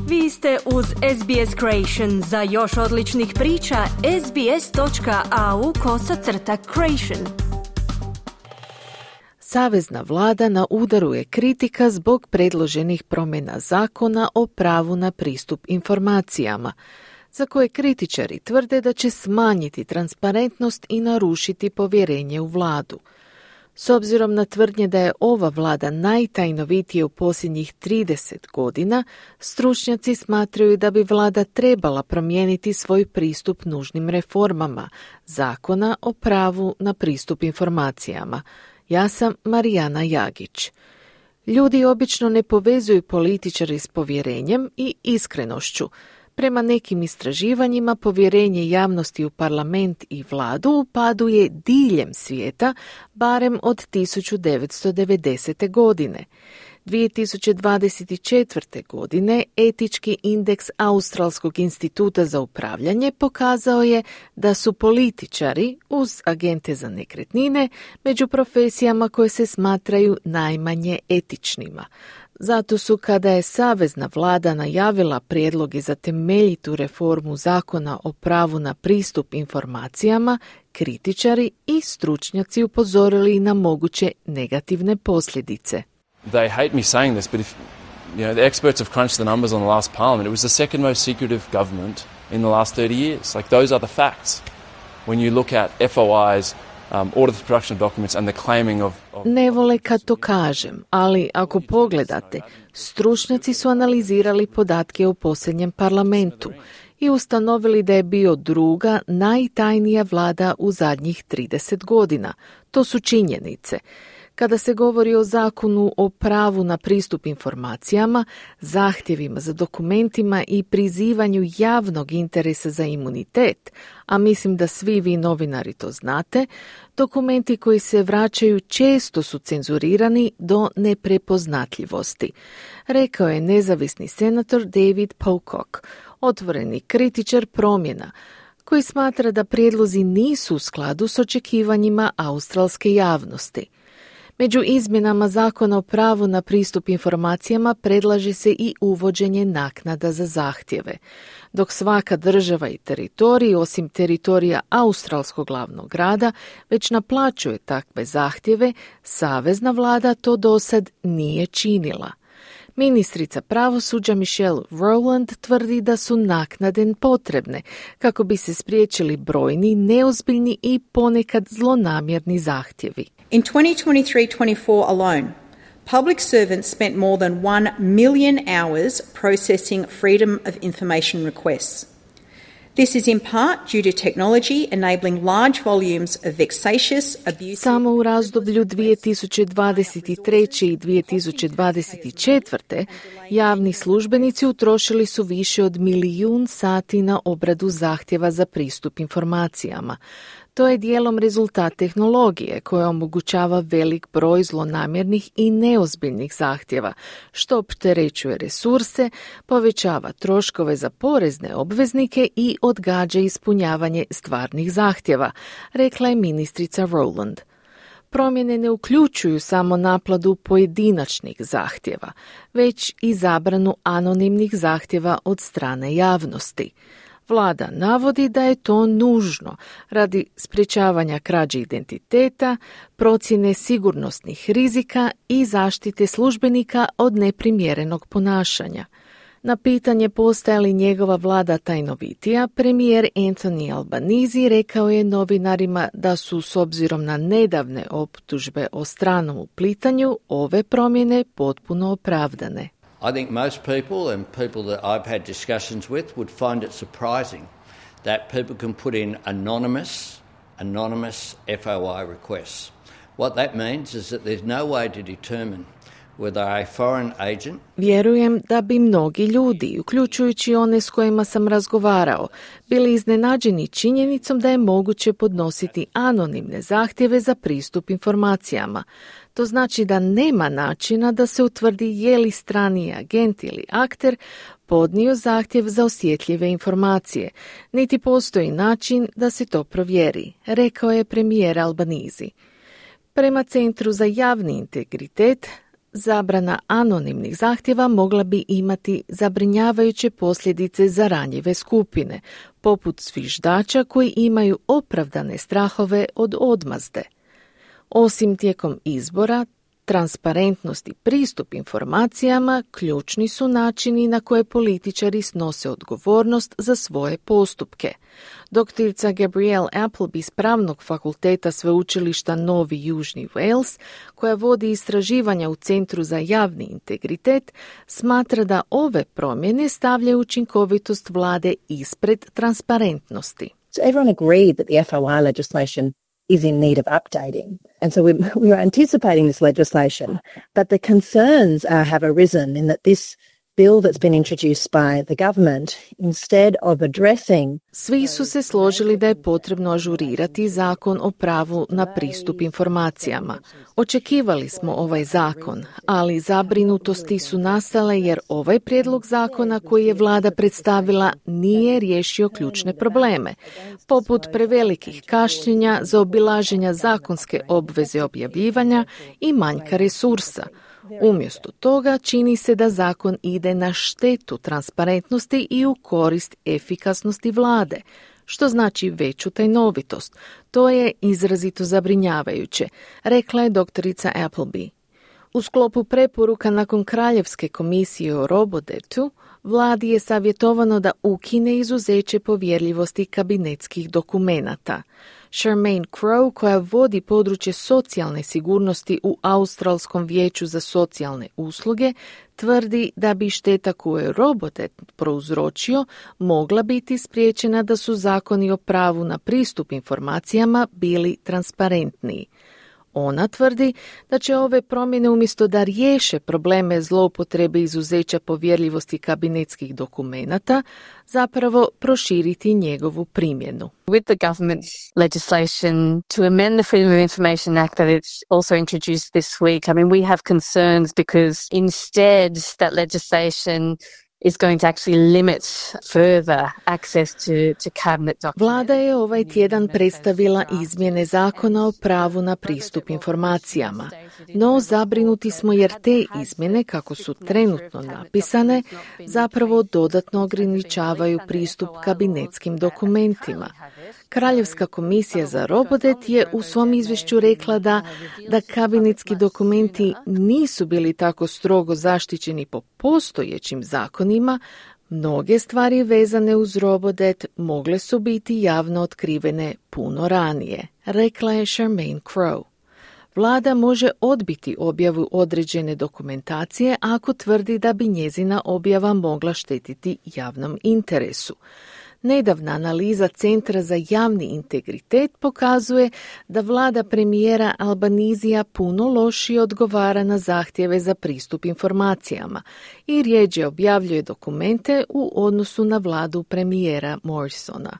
Vi ste uz SBS Creation. Za još odličnih priča, sbs.au/creation. Savezna vlada na udaru je kritika zbog predloženih promjena zakona o pravu na pristup informacijama, za koje kritičari tvrde da će smanjiti transparentnost i narušiti povjerenje u vladu. S obzirom na tvrdnje da je ova vlada najtajnovitija u posljednjih 30 godina, stručnjaci smatraju da bi vlada trebala promijeniti svoj pristup nužnim reformama zakona o pravu na pristup informacijama. Ja sam Marijana Jagić. Ljudi obično ne povezuju političari s povjerenjem i iskrenošću. Prema nekim istraživanjima povjerenje javnosti u parlament i vladu u padu je diljem svijeta, barem od 1990. godine. 2024. godine etički indeks Australskog instituta za upravljanje pokazao je da su političari, uz agente za nekretnine, među profesijama koje se smatraju najmanje etičnima. Zato su, kada je savezna vlada najavila prijedloge za temeljitu reformu zakona o pravu na pristup informacijama, kritičari i stručnjaci upozorili na moguće negativne posljedice. They hate me saying this, but if the experts have crunched the numbers on the last parliament, it was the second most secretive government in the last 30 years. Like, those are the facts. When you look at FOIs, order for production of documents and the claiming of... Ne vole kad to kažem, ali ako pogledate, stručnjaci su analizirali podatke u posljednjem parlamentu i ustanovili da je bio druga najtajnija vlada u zadnjih 30 godina. To su činjenice. Kada se govori o zakonu o pravu na pristup informacijama, zahtjevima za dokumentima i prizivanju javnog interesa za imunitet, a mislim da svi vi novinari to znate, dokumenti koji se vraćaju često su cenzurirani do neprepoznatljivosti, rekao je nezavisni senator David Pocock, otvoreni kritičar promjena, koji smatra da prijedlozi nisu u skladu s očekivanjima australske javnosti. Među izmjenama zakona o pravu na pristup informacijama predlaže se i uvođenje naknada za zahtjeve. Dok svaka država i teritorij, osim teritorija australskog glavnog grada, već naplaćuje takve zahtjeve, savezna vlada to dosad nije činila. Ministrica pravosuđa Michelle Rowland tvrdi da su naknade potrebne kako bi se spriječili brojni, neozbiljni i ponekad zlonamjerni zahtjevi. In 2023-24 alone, public servants spent more than 1 million hours processing Freedom of Information requests. This is in part due to technology enabling large volumes of vexatious, abusive... Samo u razdoblju 2023. i 2024. javni službenici utrošili su više od 1 milijun sati na obradu zahtjeva za pristup informacijama. To je dijelom rezultat tehnologije koja omogućava velik broj zlonamjernih i neozbiljnih zahtjeva, što opterećuje resurse, povećava troškove za porezne obveznike i odgađa ispunjavanje stvarnih zahtjeva, rekla je ministrica Rowland. Promjene ne uključuju samo naplatu pojedinačnih zahtjeva, već i zabranu anonimnih zahtjeva od strane javnosti. Vlada navodi da je to nužno radi sprječavanja krađe identiteta, procjene sigurnosnih rizika i zaštite službenika od neprimjerenog ponašanja. Na pitanje postaje li njegova vlada tajnovitija, premijer Anthony Albanese rekao je novinarima da su, s obzirom na nedavne optužbe o stranom uplitanju, ove promjene potpuno opravdane. I think most people and people that I've had discussions with would find it surprising that people can put in anonymous FOI requests. What that means is that there's no way to determine whether a foreign agent... Vjerujem da bi mnogi ljudi, uključujući one s kojima sam razgovarao, bili iznenađeni činjenicom da je moguće podnositi anonimne zahtjeve za pristup informacijama. To znači da nema načina da se utvrdi je li strani agent ili akter podnio zahtjev za osjetljive informacije, niti postoji način da se to provjeri, rekao je premijer Albanese. Prema Centru za javni integritet, zabrana anonimnih zahtjeva mogla bi imati zabrinjavajuće posljedice za ranjive skupine, poput zviždača koji imaju opravdane strahove od odmazde. Osim tijekom izbora, transparentnost i pristup informacijama ključni su načini na koje političari snose odgovornost za svoje postupke. Doktorica Gabrielle Appleby s Pravnog fakulteta Sveučilišta Novi Južni Wales, koja vodi istraživanja u Centru za javni integritet, smatra da ove promjene stavljaju učinkovitost vlade ispred transparentnosti. So everyone agreed that the FOI legislation is in need of updating. And so we were anticipating this legislation, but the concerns have arisen in that this bill that's been introduced by the government, instead of addressing... Svi su se složili da je potrebno ažurirati zakon o pravu na pristup informacijama. Očekivali smo ovaj zakon, ali zabrinutosti su nastale jer ovaj prijedlog zakona koji je vlada predstavila nije riješio ključne probleme, poput prevelikih kašnjenja, zaobilaženja zakonske obveze objavljivanja i manjka resursa. Umjesto toga čini se da zakon ide na štetu transparentnosti i u korist efikasnosti vlade, što znači veću tajnovitost. To je izrazito zabrinjavajuće, rekla je doktorica Appleby. U sklopu preporuka nakon Kraljevske komisije o Robodetu, vladi je savjetovano da ukine izuzeće povjerljivosti kabinetskih dokumenata. Charmaine Crowe, koja vodi područje socijalne sigurnosti u Australskom vijeću za socijalne usluge, tvrdi da bi šteta koju je Robodet prouzročio mogla biti spriječena da su zakoni o pravu na pristup informacijama bili transparentniji. Ona tvrdi da će ove promjene umjesto da riješe probleme zloupotrebe izuzeća povjerljivosti kabinetskih dokumenata, zapravo proširiti njegovu primjenu. With the government legislation to amend the Freedom of Information Act that it's also introduced this week, I mean, we have concerns because instead that legislation is going to actually limit further access to cabinet documents. Vlada je ovaj tjedan predstavila izmjene zakona o pravu na pristup informacijama, no zabrinuti smo jer te izmjene, kako su trenutno napisane, zapravo dodatno ograničavaju pristup kabinetskim dokumentima. Kraljevska komisija za Robodet je u svom izvješću rekla da kabinetski dokumenti nisu bili tako strogo zaštićeni po postojećim zakonima, mnoge stvari vezane uz Robodet mogle su biti javno otkrivene puno ranije, rekla je Charmaine Crowe. Vlada može odbiti objavu određene dokumentacije ako tvrdi da bi njezina objava mogla štetiti javnom interesu. Nedavna analiza Centra za javni integritet pokazuje da vlada premijera Albanizija puno lošije odgovara na zahtjeve za pristup informacijama i rjeđe objavljuje dokumente u odnosu na vladu premijera Morrisona.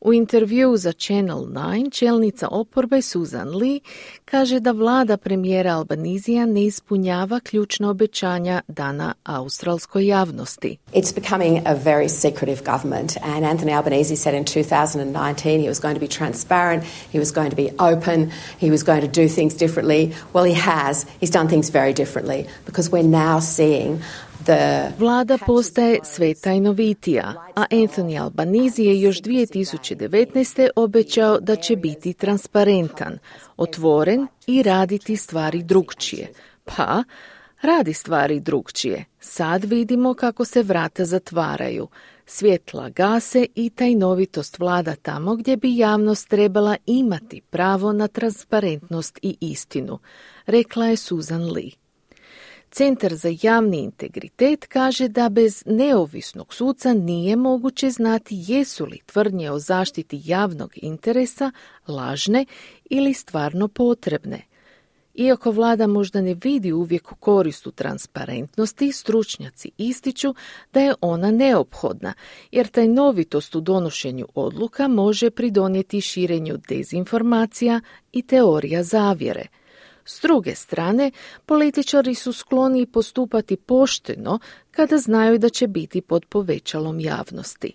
U intervjuu za Channel 9 čelnica oporbe Susan Lee kaže da vlada premijera Albanizija ne ispunjava ključna obećanja dana australskoj javnosti. It's becoming a very secretive government, and Anthony Albanese said in 2019 he was going to be transparent, he was going to be open, he was going to do things differently. Well, he has. He's done things very differently because we're now seeing Vlada postaje sve tajnovitija, a Anthony Albanese je još 2019. obećao da će biti transparentan, otvoren i raditi stvari drukčije. Pa, radi stvari drukčije. Sad vidimo kako se vrata zatvaraju. Svjetla gase i tajnovitost vlada tamo gdje bi javnost trebala imati pravo na transparentnost i istinu, rekla je Susan Lee. Centar za javni integritet kaže da bez neovisnog suca nije moguće znati jesu li tvrdnje o zaštiti javnog interesa lažne ili stvarno potrebne. Iako vlada možda ne vidi uvijek korist u transparentnosti, stručnjaci ističu da je ona neophodna, jer tajnovitost u donošenju odluka može pridonijeti širenju dezinformacija i teorija zavjere. S druge strane, političari su skloni postupati pošteno kada znaju da će biti pod povećalom javnosti.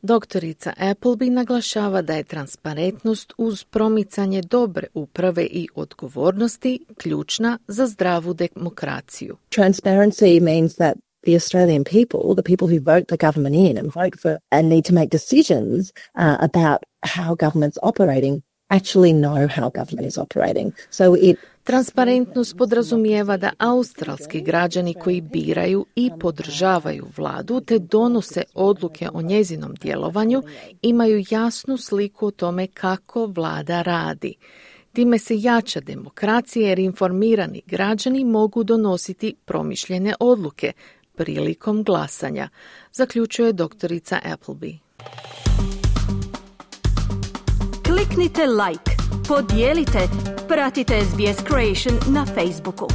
Doktorica Appleby naglašava da je transparentnost uz promicanje dobre uprave i odgovornosti ključna za zdravu demokraciju. Transparency means that the Australian people, the people who vote the government in and vote for and need to make decisions about how government's operating, actually know how government is operating. So it Transparentnost podrazumijeva da australski građani koji biraju i podržavaju vladu te donose odluke o njezinom djelovanju imaju jasnu sliku o tome kako vlada radi. Time se jača demokracija jer informirani građani mogu donositi promišljene odluke prilikom glasanja, zaključuje doktorica Appleby. Kliknite like, podijelite, pratite SBS Creation na Facebooku.